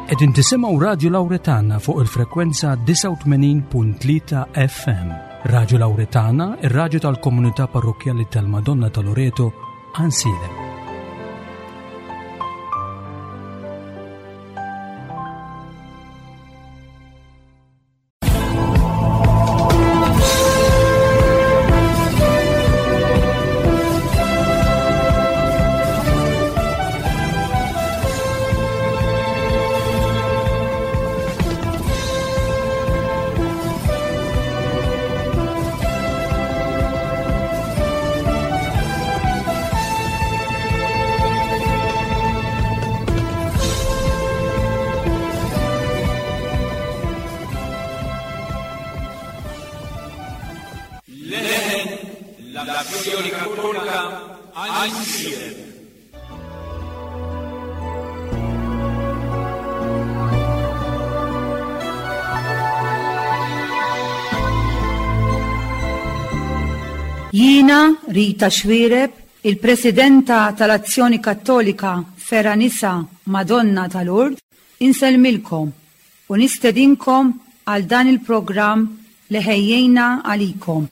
Qegħdin tisimgħu Radju Lawretana fuq il-frekwenza 89.3 FM. Radju Lawretana, ir-radju tal-komunità parrokkjali tal-Madonna ta' Loreto, Ansilem. Leħen l-Azzjoni Kattolika Għajnsielem. Jiena Rita Xuereb, il-Presidenta tal-Azzjoni Kattolika Fergħa Nisa Madonna ta' Lourdes, insellmilkom u nistedinkom għal dan il-programm li ħejjejna għalikom.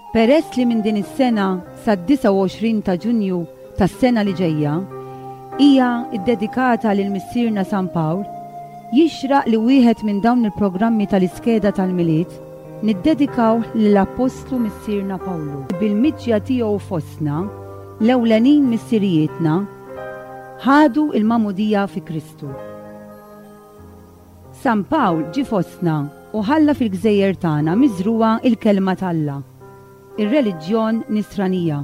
Peress li minn din is-sena sad-29 ta' Ġunju tas-sena li ġejja hija ddedikata lil Missierna San Pawl, jixraq li wieħed minn dawn il-programmi tal-iskeda tal-Milied niddedikawh lill-Appostlu Missierna Pawlu. Bil-miġja tiegħu fostna, l-ewlenin missirijietna ħadu l-magħmudija fi Kristu. San Pawl ġie fostna u ħalla fil-gżejjer tagħna miżrugħa l-Kelma t'Alla, ir-reliġjon Nisranija.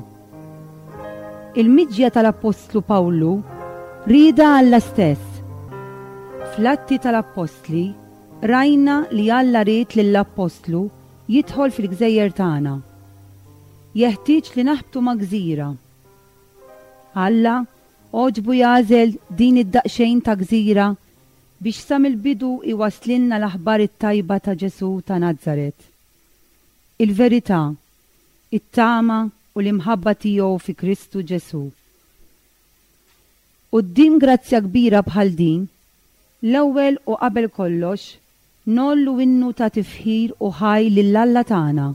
Il-miġja tal-Appostlu Pawlu riedha Alla stess. Fl-Atti tal-Appostli rajna li Alla ried lill-Appostlu jidħol fil-gżejjer tagħna. Jeħtieġ li naħbtu ma' gżira. Alla Għoġbu jagħżel din id-daqsxejn ta' gżira biex sa mill-bidu jwasslilna l-aħbar it-tajba ta' Ġesù ta' Nazaret. Il-verità, it-tama u l-imħabba tiegħu fi Kristu Ġesù. Quddiem grazzja kbira bħal din, l-ewwel u qabel kollox Ngħollu innu ta' tifħir u ħaj lil Alla tagħna,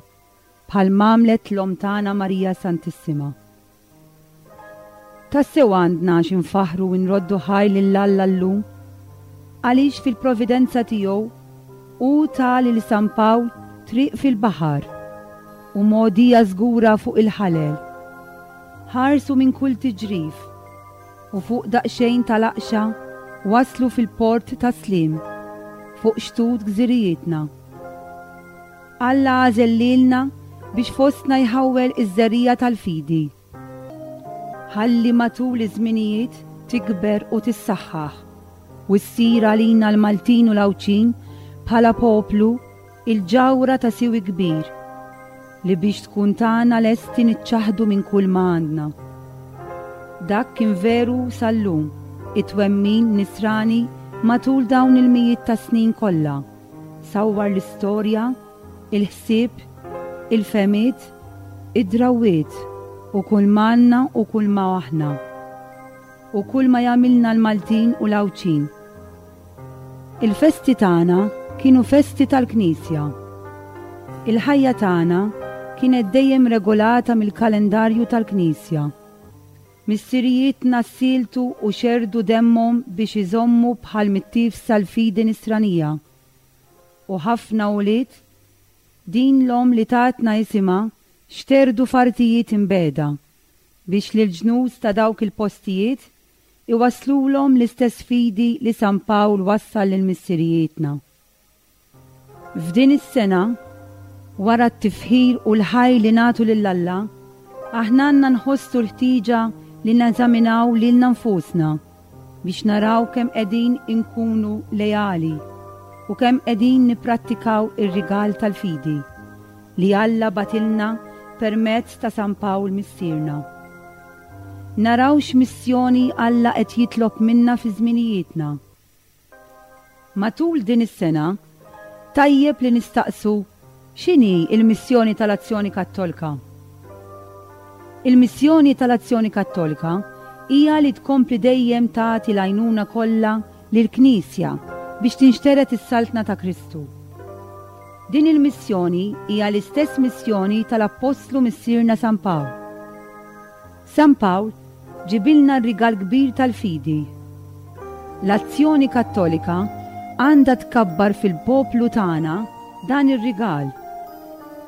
bħal m'għamlet l-Omm tagħna Marija Santissima. Tassew għandna għax infaħħru u nroddu ħaj lil Alla llum, għaliex fil-providenza tiegħu hu ta lil San Pawl triq fil-baħar u mogħdija żgura fuq il-ħalel. Ħarsu minn kull tiġrif. U fuq daqsxejn ta' laqxa waslu fil-port ta' Slim, fuq xtut gżirijietna. Alla għażel lilna biex fostna jħawwel iż-żerriegħa tal-fidi. Ħalli matul iż-żminijiet tikber u tissaħħaħ, u ssir għalina l-Maltin u l-Għawdxin bħala poplu Il-ġawhra ta' siwi kbir, li biex tkun tagħna lesti niċċaħħdu minn kull ma għandna. Dak kien veru sal-lum, it-twemmin Nisrani matul dawn il-mijiet ta' snin kollha, sawwar l-istorja, il-ħsieb, il-fehmiet, id-drawwiet u kull m'għandna u kull ma aħna. U kull ma jagħmilna l-Maltin u l-Għawdxin. Il-festi tagħna kienu festi tal-Knisja. Il-ħajja tagħna kienet dejjem regolata mill-kalendarju tal-Knisja. Missirijietna ssieltu u xerrdu demmhom biex iżommu bħal mittiefsa l-fidi Nisranija. U ħafna ulied din l-omm li tatna isimha xterdu f'artijiet imbiegħda biex lill-ġnus ta' dawk il-postijiet iwasslulhom l-istess fidi li San Pawl wassal lil missirijietna. F'din is-sena, wara t-tifħir u l-ħajr li nagħtu lil Alla, aħna għandna nħossu l-ħtieġa li neżaminaw lilna nfusna biex naraw kemm qegħdin inkunu leali. u kemm qegħdin nipprattikaw ir-rigal tal-fidi li Alla bagħtilna permezz ta' San Pawl Missierna. Naraw x'missjoni Alla qed jitlob minna fi żminijietna. Matul din is-sena, tajjeb li nistaqsu x'inhi l-missjoni tal-Azzjoni Kattolka? Il-missjoni tal-Azzjoni Kattolka hija li tkompli dejjem tagħti l-għajnuna kollha lill-Knisja biex tinxtered is-Saltna ta' Kristu. Din il-missjoni hija l-istess missjoni tal-Appostlu Missierna San Pawl. San Pawl ġibilna r-rigal kbir tal-fidi. L-Azzjoni Kattolika għandha tkabbar fil-poplu tagħna dan ir-rigal.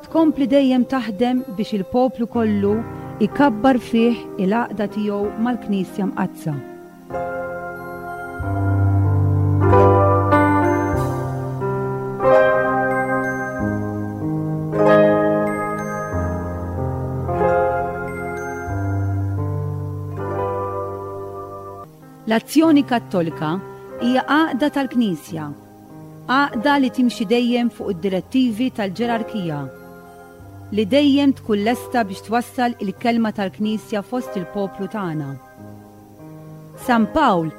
Tkompli dejjem taħdem biex il-poplu kollu jkabbar fih il-għaqda tiegħu mal-Knisja Mqaddsa. L-Azzjoni Kattolika hija għaqda tal-Knisja, għaqda li timxi dejjem fuq id-direttivi tal-ġerarkija, li dejjem tkun lesta biex twassal il-kelma tal-Knisja fost il-poplu tagħna. San Pawl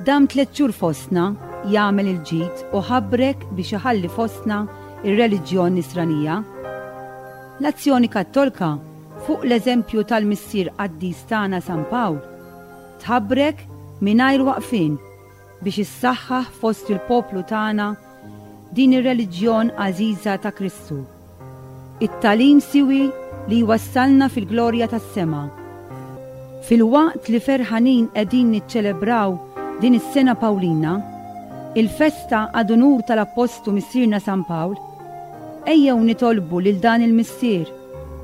dam tlett xhur fostna jagħmel il-ġid u ħabrek biex iħalli fostna r-reliġjon Nisranija. L-Azzjoni Kattolka, fuq l-eżempju tal-Missier Qaddis tagħna San Pawl, tħabrek mingħajr waqfien biex issaħħaħ fost il-poplu tagħna din ir-reliġjon għażiża ta' Kristu. It-tagħlim siwi li jwassalna fil-glorja tas-sema. Filwaqt li ferħanin qegħdin niċċelebraw din is-Sena Pawlina, il-festa ad unur tal-Appostlu Missierna San Pawl, ejjew nitolbu lil dan il-Missier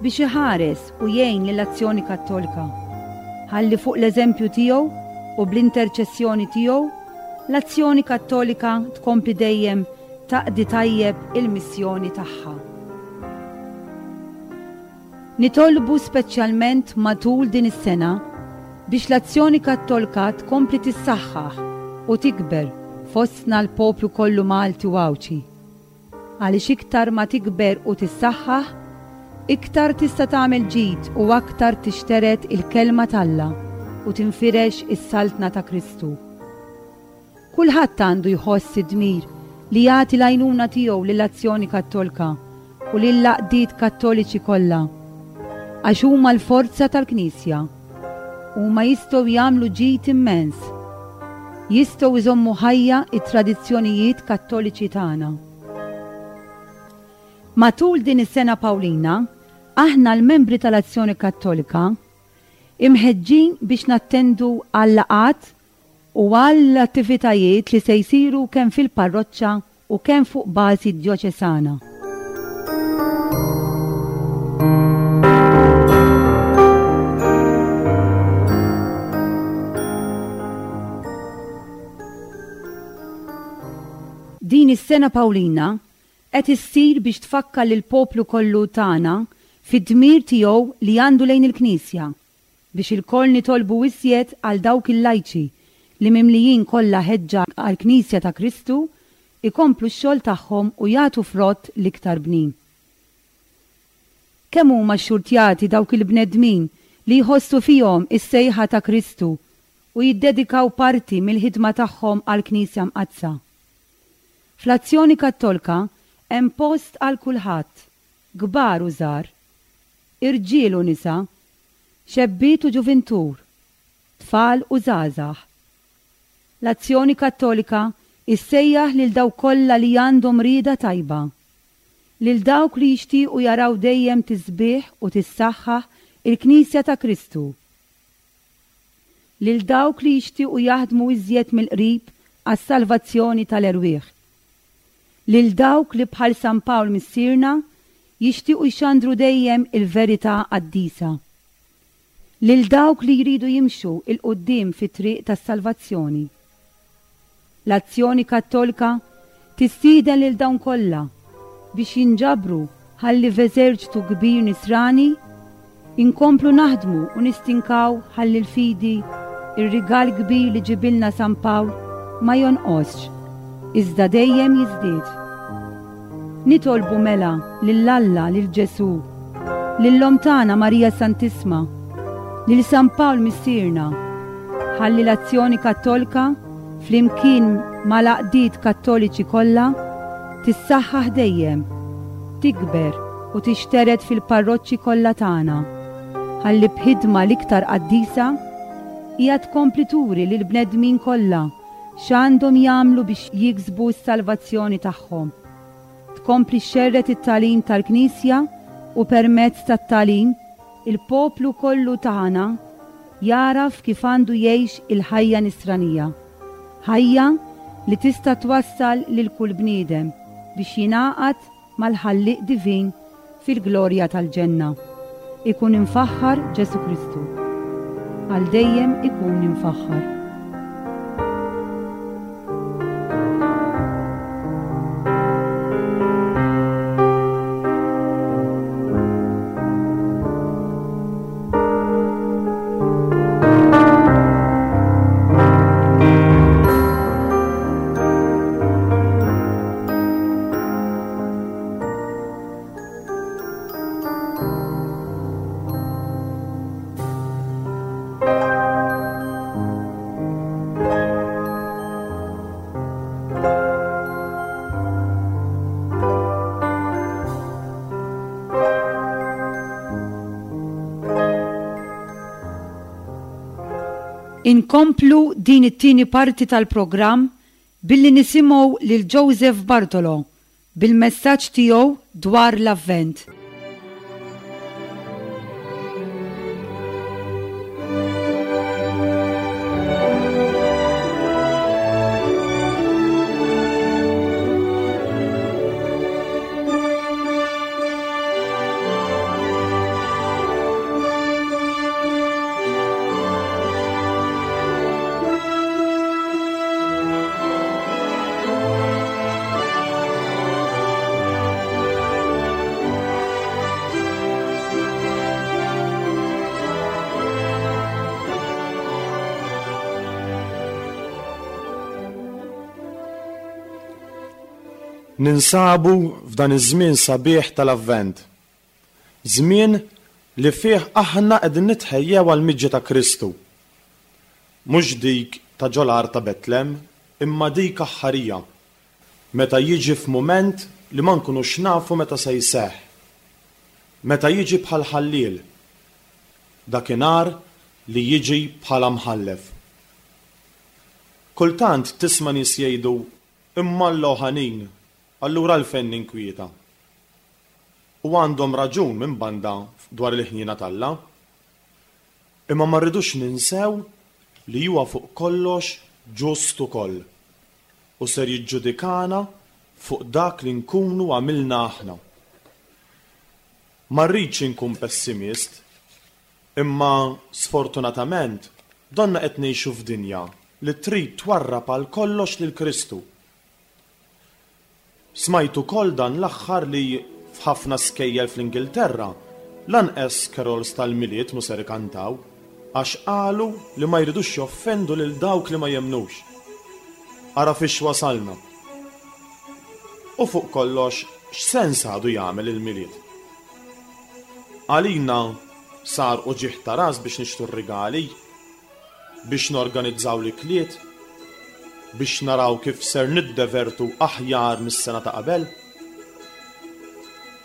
biex iħares u jgħin lill-Azzjoni Kattolika, ħalli fuq l-eżempju tiegħu u bl-interċessjoni tiegħu, l-Azzjoni Kattolika tkompli dejjem taqdi tajjeb il-missjoni tagħha. Nitolbu speċjalment matul din is-sena biex l-Azzjoni Kattolka tkompli tissaħħaħ u tikber fostna l-poplu kollu Malti u Għawdxi. Għaliex iktar ma tikber u tissaħħaħ, iktar tista' tagħmel ġid u aktar tixtered il-Kelma t'Alla u tinfirex is-Saltna ta' Kristu. Kulħadd għandu jħoss id-dmir li jagħti l-għajnuna tiegħu lill-Azzjoni Kattolka u lill-għaqdiet Kattoliċi kollha, għax huma l-forza tal-Knisja. Huma jistgħu jagħmlu ġid immens. Jistgħu jżommu ħajja t-tradizzjonijiet Kattoliċi tagħna. Matul din is-Sena Pawlina, aħna l-membri tal-Azzjoni Kattolika imħeġġin biex nattendu għal-laqgħat u għall-attivitajiet li se jsiru kemm fil-parroċċa u kemm fuq bażi djoċesana. Din is-Sena Pawlina qed issir biex tfakkar lill-poplu kollu tagħna fid-dmir tiegħu li għandu lejn il-Knisja Biex ilkoll nitolbu iżjed għal dawk il-lajċi li mimlijin kollha ħeġġa għall-Knisja ta' Kristu, ikomplu x-xogħol tagħhom u jagħtu frott l-iktar bnin. Kemm huma xxurtjati dawk il-bnedmin li jħossu fihom is-sejħa ta' Kristu u jiddedikaw parti mill-ħidma tagħhom għall-Knisja Mqaddsa. Fl-Azzjoni Kattolka hemm post għal kulħadd, kbar u żgħar, irġiel u nisa, xebbiet u ġuvintur, tfal u żgħażagħ. L-Azzjoni Kattolika issejjaħ lil dawk kollha li għandhom rieda tajba, lil dawk li jixtiequ jaraw dejjem tisbieħ u tissaħħaħ il-Knisja ta' Kristu, lil dawk li jixtiequ jaħdmu iżjed mill-qrib għas-salvazzjoni tal-erwieħ, lil dawk li bħal San Pawl Missierna jixtiequ jxandru dejjem il-verità qaddisa, lil dawk li jridu jimxu 'l quddiem fit-triq tas-salvazzjoni. L-Azzjoni Kattolka tistieden lil dawn kollha biex jinġabru ħalli f'eżerċtu kbir Nisrani inkomplu naħdmu u nistinkaw ħalli l-fidi, ir-rigal kbir li ġibilna San Pawl, ma jonqosx. iżda dejjem jiżdied. Nitolbu mela lil Alla, lil Ġesù, lil Omm tagħna Marija Santissma, lil San Pawl Missierna, ħalli l-Azzjoni Kattolka flimkien mal-għaqdiet Kattoliċi kollha tissaħħaħ dejjem, tikber u tixtered fil-parroċċi kollha tagħna, ħalli b'ħidma l-iktar qaddisa hija tkompli turi lill-bnedmin kollha x'għandhom jagħmlu biex jiksbu s-salvazzjoni tagħhom. Tkompli xxerred it-tagħlim tal-Knisja u permezz tat-tagħlim il-poplu kollu tagħna jagħraf kif għandu jgħix il-ħajja nisranija. Ħajja li tista' twassal lil kull bniedem biex jingħaqad mal-Ħallieq Divin fil-glorja tal-ġenna. Ikun imfaħħar Ġesù Kristu. Għal dejjem ikun imfaħħar. Inkomplu din it-tieni parti tal-programm billi nisimgħu lil Joseph Bartolo bil-messaġġ tiegħu dwar l-Avvent. Ninsabu f'dan iż-żmien sabiħ tal-Avvent. Żmien li fih aħna qegħdin nitħejjew għall-miġja ta' Kristu. Mhux dik ta' ġol-għar ta' Betlem, imma dik aħħarija, meta jiġi f'mument li ma nkunux nafu meta se jseħħ. Meta jiġi bħal ħalliel. Dakinhar li jiġi bħala mħallef. Kultant tisma' nies jgħidu, Imma Alla hu ħanin, allura għalfejn ninkwieta? U għandhom raġun minn banda dwar il-ħniena t'Alla. Imma ma rridux ninsew li huwa fuq kollox ġust ukoll u ser jiġġudikana fuq dak li nkunu għamilna aħna. Ma rridx inkun pessimist, imma sfortunatament donna qed ngħixu f'dinja li trid twarrab għal kollox lil Kristu. Smajt ukoll dan l-aħħar li f'ħafna skejjel fl-Ingilterra lanqes carols tal-Milied mhu ser ikantaw għax qalu li ma jridux joffendu lil dawk li ma jemmnux. Ara fiex wasalna. U fuq kollox x'sens għadu jagħmel il-Milied? Għalina sar uġigħ ta' ras biex nixtru r-rigali. Biex norganizzaw l-ikliet? Biex naraw kif ser niddevertu aħjar mis-sena ta' qabel?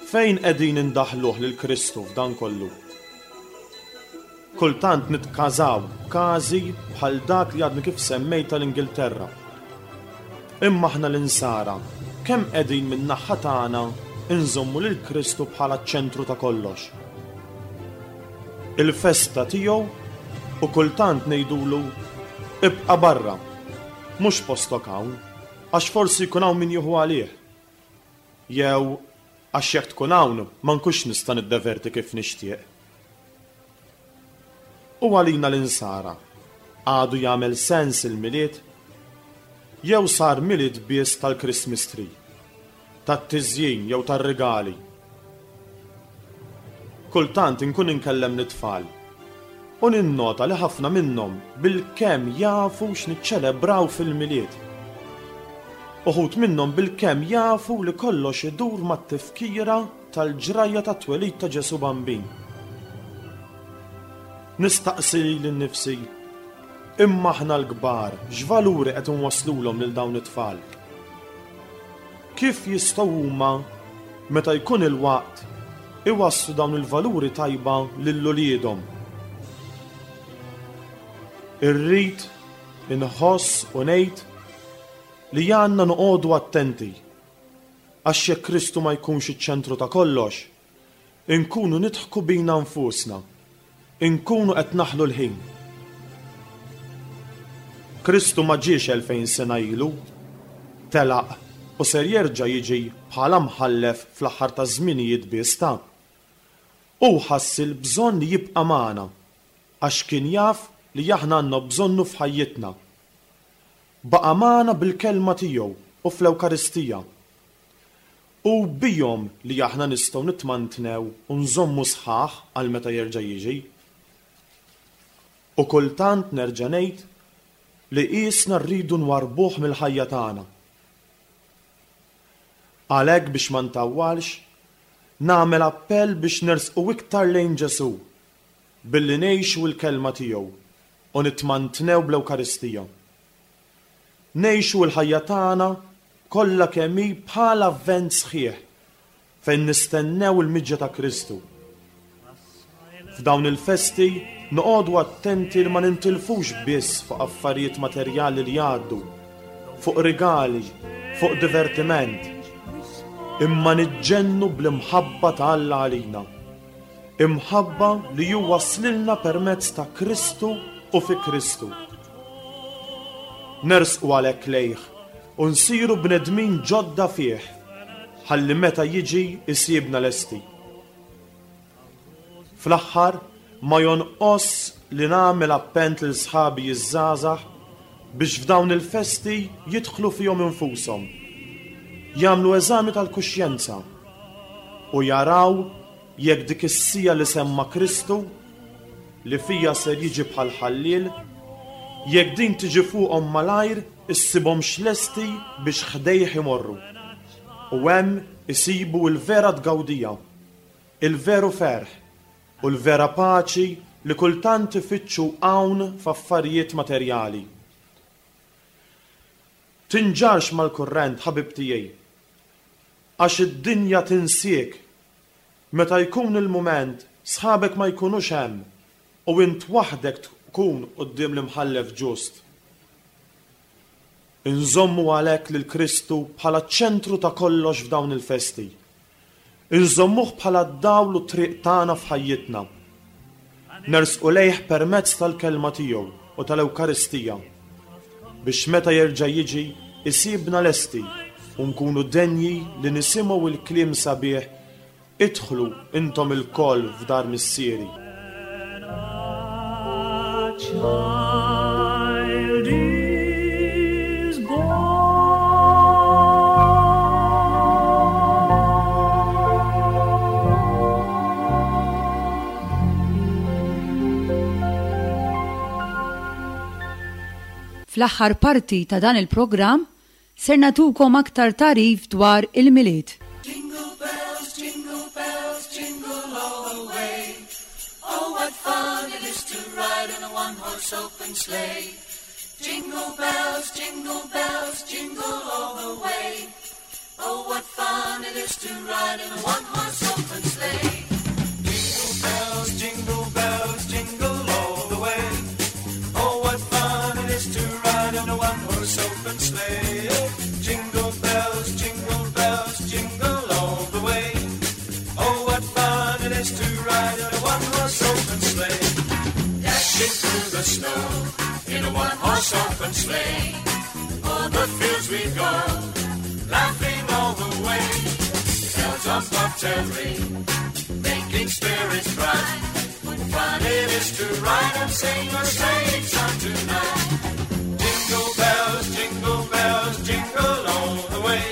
Fejn qegħdin indaħħluh lil Kristu f'dan kollu? Kultant nitkażaw b'każi bħal dak li għadni kif semmejt tal-Ingilterra. Imma aħna l-Insara kemm qegħdin min-naħa tagħna nżommu lil Kristu bħala ċ-ċentru ta' kollox? Il-festa tiegħu u kultant ngħidulu ibqa' barra, mhux postok hawn, għax forsi jkun hawn min jieħu għalih. Jew għax jekk tkun hawn ma nkunx nista' niddeverti kif nixtieq. U għalina l-Insara, għadu jagħmel sens il-Milied? Jew sar Milied biss tal-Christmas tree, tat-tiżjin jew tar-rigali? Kultant inkun inkellem lit-tfal u ninnota li ħafna minnhom bilkemm jafu x'niċċelebraw fil-Milied. Uħud minnhom bilkemm jafu li kollox idur mat-tifkira tal-ġrajja tat-twelid ta' Ġesù Bambin. Nistaqsi lili nnifsi, imma aħna l-kbar x'valuri qed inwasslulhom lil dawn it-tfal? Kif jistgħu huma, meta jkun il-waqt, iwasslu dawn il-valuri tajba lil uliedhom? Irrid inħoss u ngħid li għandna noqogħdu attenti, għax jekk Kristu ma jkunx iċ-ċentru ta' kollox, inkunu nidħku bina nfusna, inkunu qed naħlu l-ħin. Kristu ma ġiex 2000 sena ilu, telaq u ser jerġa' jiġi bħala mħallef fl-aħħar taż-żminijiet biss ta'. Hu ħass il-bżonn li jibqa' magħna għax kien jaf li aħna għandna bżonnu f'ħajjitna. Baqa' magħna bil-Kelma tiegħu u fl-Ewkaristija. Hu bihom li aħna nistgħu nitmantnew u nżommu sħaħ għal meta jerġa' jiġi. U kultant nerġa' ngħid li qiesna rridu nwarrbuh mill-ħajja tagħna. Għalhekk biex ma ntawwalx, nagħmel appell biex nersqu iktar lejn Ġesù billi ngħixu l-Kelma tiegħu u nitmantnew bl-Ewkaristija. Ngħixu l-ħajja tagħna kollha kemm hi bħal Avvent sħiħ fejn nistennew il-miġja ta' Kristu. F'dawn il-festi noqogħdu attenti li ma nintilfux biss fuq affarijiet materjali li jgħaddu, fuq rigali, fuq divertiment, imma niġġennu bl-imħabba ta' Alla għalina. Imħabba li hu wasslilna permezz ta' Kristu u fi Kristu. Nersqu għalhekk lejh u nsiru bnedmin ġodda fih, ħalli meta jiġi jsibna lesti. Fl-aħħar, ma jonqosx li nagħmel appent lil sħabi ż-żgħażagħ biex f'dawn il-festi jidħlu fihom infushom, jagħmlu eżami tal-kuxjenza u jaraw Jekk dik is-siegħa li semma Kristu, li fiha ser jiġi bħal ħalliel, jekk din tiġi fuqhom malajr issibhomx lesti biex ħdejh imorru, u hemm isibu l-vera tgawdija, il-veru ferħ, u l-vera paċi li kultant ifittxu hawn f'affarijiet materjali. Tinġarrx mal-kurrent, ħabib tiegħi, għax id-dinja tinsiek Meta jkun il-mument, sħabek ma jkunux hemm u int waħdek tkun quddiem l-Imħallef ġust. Inżommu għalhekk lil Kristu bħala ċ-ċentru ta' kollox f'dawn il-festi. Inżommuh bħala d-dawl u t-triq tagħna f'ħajjitna. Nersqu lejh permezz tal-Kelma tiegħu u tal-Ewkaristija, biex meta jerġa' jiġi jsibna lesti u nkunu denji li nisimgħu l-kliem sabiħ Idħlu intom ilkoll f'dar Missieri. Fl-aħħar parti ta' dan il-programm ser nagħtukom aktar tagħrif dwar il-Milied. Jingle bells, jingle bells, jingle all the way. Oh, what fun it is to ride in a one-horse open sleigh. Jingle bells, jingle bells, jingle all the way. Oh, what fun it is to ride in a one-horse open sleigh. Jingle bells, jingle bells, jingle all the way. Oh, what fun it is to ride in a one-horse open sleigh. Jingle bells, jingle bells, jingle all the way. Oh, what fun it is to ride in a one-horse open sleigh. Dashing through the snow in a one-horse open sleigh. O'er the fields we go, laughing all the way. Bells on bobtail ring, making spirits bright. What fun it is to ride and sing a sleighing song tonight. Jingle bells, jingle bells, jingle all the way.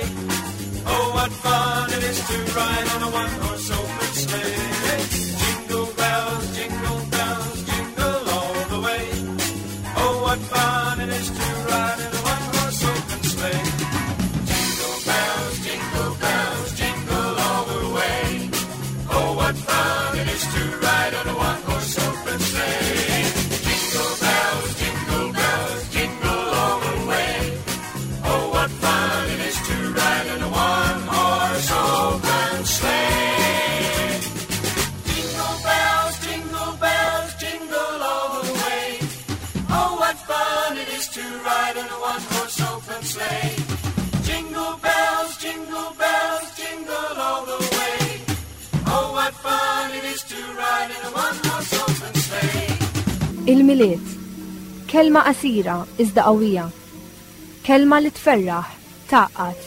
Oh, what fun it is to ride on a one-horse open sleigh. Jingle bells, jingle bells, jingle all the way. Oh, what fun it is to ride in a one-horse open sleigh. to ride in a one-horse open sleigh. Jingle bells, jingle bells, jingle all the way. Oh, what fun it is to ride in a one-horse open sleigh. Il-Milied. Kelma qasira iżda qawwija. Kelma li tferraħ, tgħaqqad.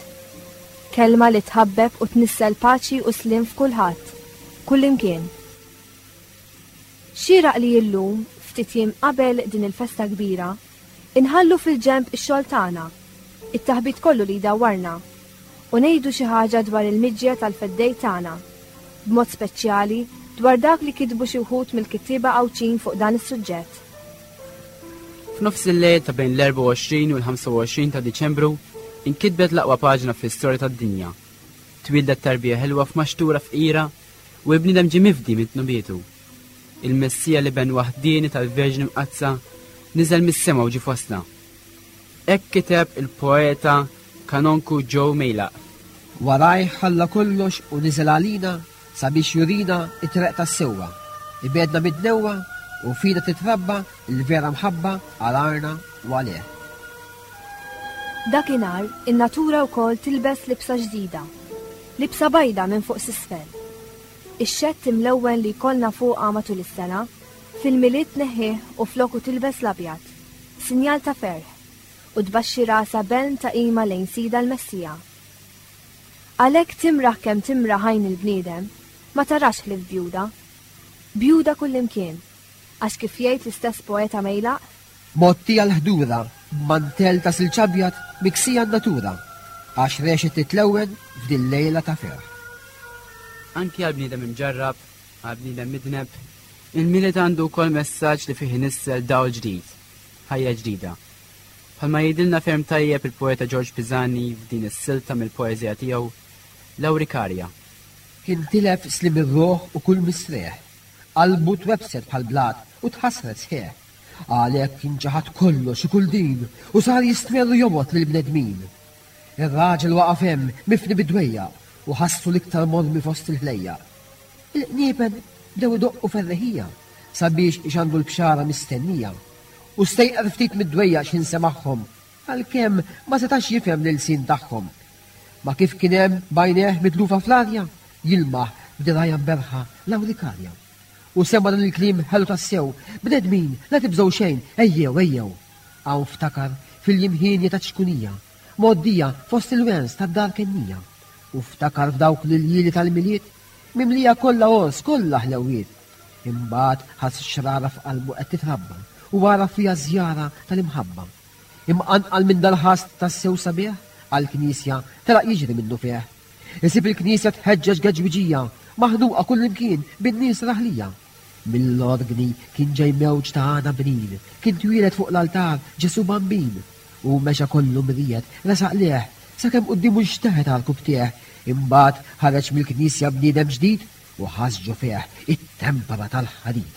Kelma li tħabbeb u tnissel paċi u sliem f'kulħadd, kullimkien. Xieraq li illum, ftit jiem qabel din il-festa kbira, inħallu fil-ġenb ix-xogħol tagħna, it-taħbit kollu li jdawwarna, u ngħidu xi ħaġa dwar il-miġja tal-Feddej tagħna, b'mod speċjali dwar dak li kitbu xi wħud mill-kittieba Għawdxin fuq dan is-suġġett. F'nofs il-lejl ta' bejn l-24 u l-25 ta' Diċembru, inkitbet l-aqwa paġna fl-istorja tad-dinja. Twieldet tarbija ħelwa f'maxtura fqira u l-bniedem ġie mifdi minn dnubietu. Il-Messija l-Iben waħdieni tal-Verġni Mqaddsa niżel mis-sema u ġie fostna. Hekk kiteb il-poeta Kanonku Joe Mejlaq. Warajh ħalla kollox u niżel għalina sabiex jurina t-treq tas-sewwa, ibegħedna mid-dnewwa u fina titrabba l-vera mħabba għal arna u għalih. Dakinhar, in-natura wkoll tilbes libsa ġdida. Libsa bajda minn fuq s'isfel. Ix-xedd imlewwen li jkollna fuqha matul is-sena, fil-Milied tneħħih u floku tilbes l-abjad, sinjal ta' ferħ, u tbaxxi rasha b'għelm ta' qima lejn Sidha l-Messija. Għalhekk timraħ kemm timraħ għajn il-bniedem, ma tarax ħlief bjuda. Bjuda kullimkien, għax kif jgħid l-istess poeta Mejlaq, Mgħottija l-ħdura b'mantell ta' silġ abjad miksija n-natura, għax rexet titlewwen f'dil-lejla ta' ferħ. Anki għal bniedem imġarrab, għal bniedem midneb, il-Milied għandu wkoll messaġġ li fih inissel dawl ġdid, ħajja ġdida. Bħalma jgħidilna ferm tajjeb il-poeta Ġorġ Pisani f'din is-silta mill-poeżija tiegħu, L-Awrikarja. Kien tilef sliem ir-ruħ u kull mistrieħ. Qalbu twebbset bħal blat u tħassret sħiħ. Għalhekk kien ċaħad kollox u kull din u sar jistmerr u jobgħod lill-bnedmin. Ir-raġel waqaf hemm mifni bid-dwejjaq u ħassu l-iktar mormi fost il-ħlejjaq. Il-qniepen bdew idoqqu ferreħija sabiex ixandru l-bxara mistennija. U stejqer ftit mid-dwejjaq x'ħin semagħhom, għalkemm ma setax jifhem l-ilsien tagħhom. Ma kif kien hemm b'għajnejh mitlufa fl-arja, jilmaħ b'dirgħajha mberrħa l-awrikarja. U sema' dan il-kliem ħelu tassew, Bnedmin, la tibżgħu xejn, ejjew, ejjew! Hawn ftakar fil-jiem hienja taċ-ċkunija, mgħoddija fost il-wens tad-dar kennija. U ftakar f'dawk l-iljieli tal-Milied, mimlija kollha għors, kollha ħlewwiet. Imbagħad ħass xrara f'qalbu qed titrabba u għaraf fiha żjara tal-imħabba. Imqanqal minn dal-ħass tassew sabiħ, għall-knisja telaq jiġri minnufih. Isib il-knisja tħeġġeġ geġwiġija, maħnuqa kullimkien bin-nies raħlija. Mill-orgni kien ġej mewġ ta' għana bnin, kien twieled fuq l-altar Ġesù Bambin. Hu mexa kollu mriegħed, resaq lejh, sakemm quddiemu nxteħet għarkupptejh, imbagħad ħareġ mill-knisja bniedem ġdid u ħass ġo fih it-tempra tal-ħadid.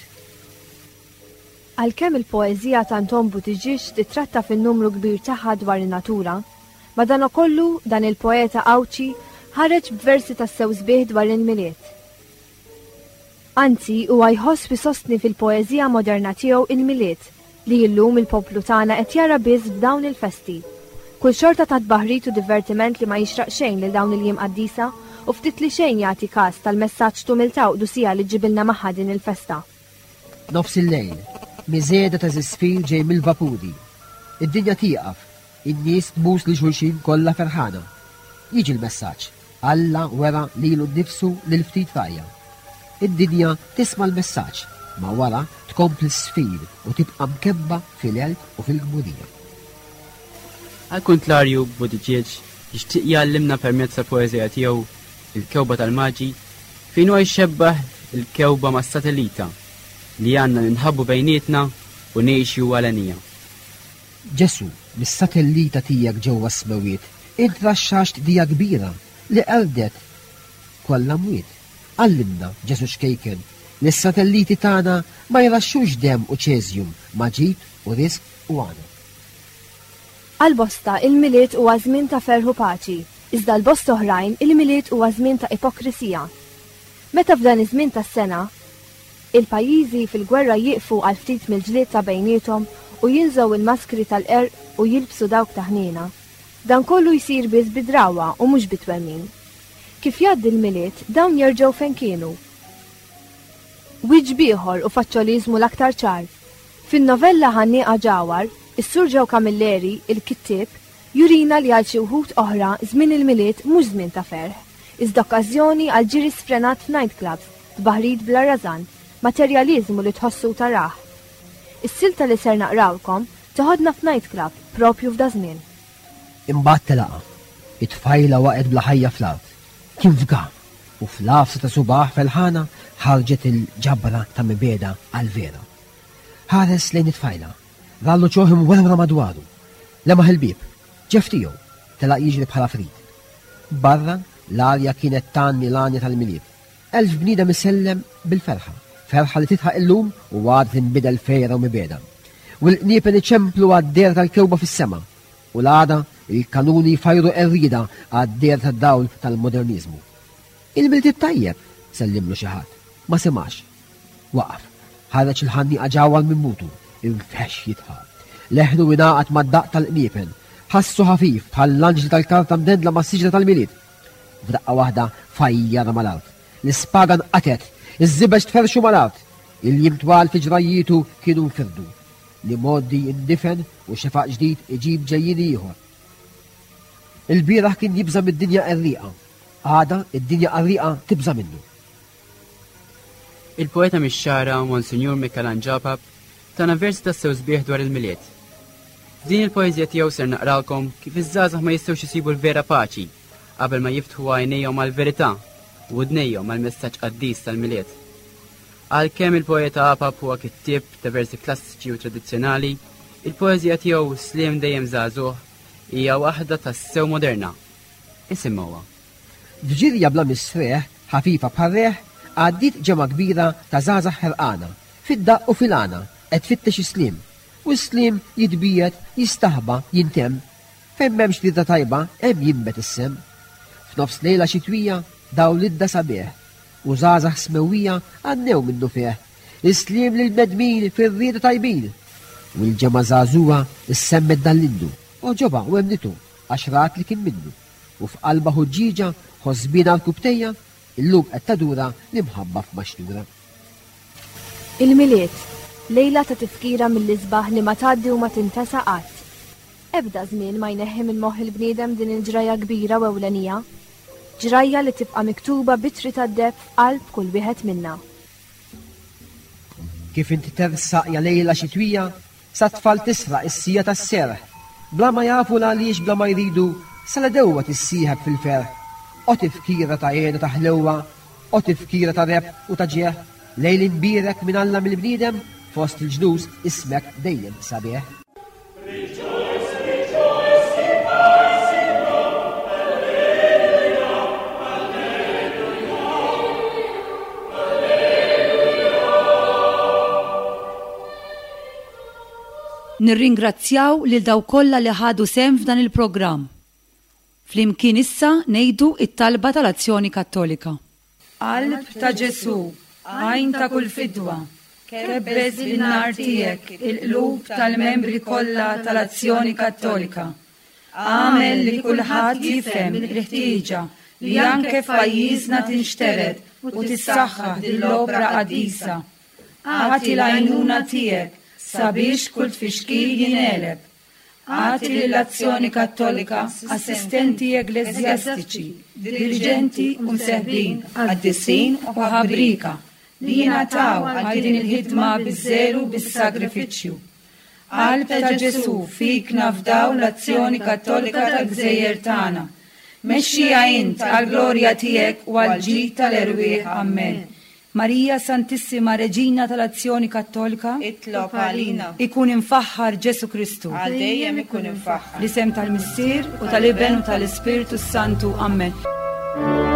Għalkemm il-poeżija ta' Anton Buttigieg tittratta fin-numru kbir tagħha dwar in-natura, madankollu dan il-poeta Għawdxi ħareġ b'versi tassew sbieħ dwar il-Milied. Anzi, huwa jħoss u jsostni fil-poeżija moderna tiegħu il-Milied, li illum il-poplu tagħna qed jara biss f'dawn il-festi. Kull xorta ta' tbaħrid u divertiment li ma jixraq xejn lil dawn il-jiem qaddisa u ftit li xejn jagħti kas tal-messaġġ t'umiltà u qdusija li ġġibilna magħha din il-festa. Nofs il-lejl, miżgħeda ta' żisfir ġej mill-vapuri. Id-dinja tieqaf, in-nies tbus lil xulxin kollha ferħana. Jiġi l-messaġġ, Alla wera lilu nnifsu lil ftit rgħajja. Id-dinja tisma' l-messaġġ, ma wara tkompli ssfir u tibqa' mkebba fil-għelb u fil-kburija. Għall-kuntlarju, Buttigieg jixtieq jgħallimna permezz tal-poeżija tiegħu Il-Kewba tal-Maġi, fejn huwa jxebbah il-kewba mas-satellita li għandna ninħabbu bejnietna u ngħixu għalenija. Ġesù, mis-satellita tiegħek ġewwa s-smewwiet, int raxxaxt dija kbira li qerdet kollha mwiet. Għallimna, Ġesù ċkejken, li s-satelliti tagħna ma jraxxux demm u ċeżjum ma' ġid u riżq u għana. Għal bosta, il-Milied huwa żmien ta' ferħ u paċi, iżda għal bosta oħrajn, il-Milied huwa żmien ta' ipokrisija. Meta f'dan iż-żmien tas-sena, il-pajjiżi fil-gwerra jieqfu għal ftit mill-ġlied ta' bejniethom u jinżgħu il-maskri tal-qerq u jilbsu dawk ta' ħniena, dan kollu jsir biss bi drawwa u mhux bi twemmin. Kif jgħaddi l-Milied, dawn jerġgħu fejn kienu. Wiċċ b'ieħor u faċċoliżmu l-aktar ċar. Fin-novella Ħannieqa Ġawhar, is-Sur Joe Camilleri, il-kittieb, jurina li għal xi wħud oħra żmien il-Milied mhux żmien ta' ferħ, iżda okkażjoni għal ġiri sfrenat f'night clubs, tbaħrid bla rażan, materjaliżmu li tħossu u tarah. Is-silta li ser naqrawlkom teħodna f'night club propju f'daż-żmien. Imbagħad telaqha. It-tfajla waqgħet bla ħajja fl-art. Kien fga, u fl-għafsa ta' subgħah felħana ħarġet il-ġabra ta' mibegħda għall-vera. Ħares lejn it-tfajla. Ra l-uċuħ imwerwra madwaru. Lemaħ il-bieb. Ġef tiegħu. Telaq jiġri bħal għafrid. Barra, l-arja kienet tgħanni l-għanja tal-Milied. 1000 bniedem isellem bil-ferħa, ferħa li tidħaq illum u għada tinbidel f'għira u mibegħda. U l-qniepen iċemplu għad-dehra tal-kewba fis-sema, u l-għada il-kanuni jfajru qerrieda għad-dehra tad-dawl tal-moderniżmu. Il-Milied it-tajjeb! sellimlu xi ħadd. Ma semax. Waqaf. Ħareġ il-ħannieqa ġawhar minn butu. Infexx jidħaq. Leħnu ingħaqad mad-daqq tal-qniepen. Ħassu ħafif bħall-anġli tal-karta mdendla mas-siġra tal-Milied. F'daqqa waħda fajjarha mal-art. L-ispaga nqatgħet, iż-żibeġ tferrxu mal-art. Il-jiem twal fi ġrajjietu kienu nfirdu. L-imgħoddi jindifen u xefaq ġdid iġib ġejjieni ieħor. Il-bieraħ kien jibża' mid-dinja qerrieqa. Għada id-dinja qarrieqa tibża' minnu. Il-poeta mix-Xagħra, Monsinjur Mikelanġ Apap, tana versi tassew sbieħ dwar il-Milied. F'din il-poeżija tiegħu ser naqralkom kif iż-żgħażagħ ma jistgħux isibu l-vera paċi qabel ma jiftħu għajnejhom għall-verità u widnejhom għall-messaġġ qaddis tal-Milied. Għalkemm il-poeta Apap huwa kittieb ta' versi klassiċi u tradizzjonali, il-poeżija tiegħu Sliem Dejjem Żagħżugħ hija waħda tassew moderna. Isimgħuha. F'ġirja bla mistrieħ, ħafifa bħar-riħ, għaddiet ġemgħa kbira ta' żgħażagħ ħerqana, fid-daqq u fil-għana, qed tfittex is-sliem. U s-sliem jitbiegħed, jistaħba, jintemm. Fejn m'hemmx rieda tajba, hemm jinbet is-semm. F'nofs lejla xitwija, dawl idda sabiħ, u żgħażagħ smewwija għannew minnufih, Is-sliem lill-bnedmin fir-rieda tajbin! U l-ġemgħa żagħżugħa ssemmet dan l-innu, għoġobha u emmnitu, għax rat li kien minnu. U f'qalbha ħuġġieġa, ħosbiena rkubtejja, illum qed tadura l-imħabba f'maxtura. Il-Milied, lejla ta' tifkira mill-isbaħ li ma tgħaddi u ma tintesa qatt. Ebda żmien ma jneħħi minn moħħ il-bniedem din il-ġrajja kbira u ewlenija. Ġrajja li tibqa' miktuba b'ittri tad-deheb f'qalb kull wieħed minna. Kif int tersaq ja lejla xitwija, sat-tfal tisraq is-siegħa tas-serħ. Bla ma jafu l-għaliex bla ma jridu, sal-għedewwa tissieħeb fil-ferħ. O tifkira ta' hena ta' ħlewwa, o tifkira ta' rebħ u ta' ġieħ, lejl imbierek minn Alla mill-bniedem, fost il-ġnus ismek dejjem sabiħ. Nirringrazzjaw lil dawk kollha li ħadu sehem f'dan il-programm. Flimkien issa ngħidu t-talba tal-Azzjoni Kattolika. Qalb ta' Ġesù, għajn ta' kull fidwa, kebbes bin-nar tiegħek il-qlub tal-membri kollha tal-Azzjoni Kattolika. Agħmel li kulħadd jifhem il-ħtieġa li anke f'pajjiżna tinxtered u tissaħħaħ din l-opra qaddisa. Agħti l-għajnuna tiegħek sabiex kull tfixkil jingħeleb. Agħti lill-Azzjoni Kattolika assistenti eggleżjastiċi, diriġenti u mseħbin qaddisin u ħabrieka li jingħataw għal din il-ħidma biż-żelu u bis-sagrifiċċju. Qalb ta' Ġesù, fik nafdaw l-Azzjoni Kattolika tal-gżejjer tagħna. Mexxiha int għall-glorja tiegħek u għall-ġid tal-erwieħ. Ammen. Marija Santissima Reġina tal-Azzjoni Kattolika. Itlob għalina. Ikun imfaħħar Ġesù Kristu. Għal dejjem ikun imfaħħar. Fl-isem tal-Missier u tal-Iben u tal-Ispirtu s-Santu. Ammen.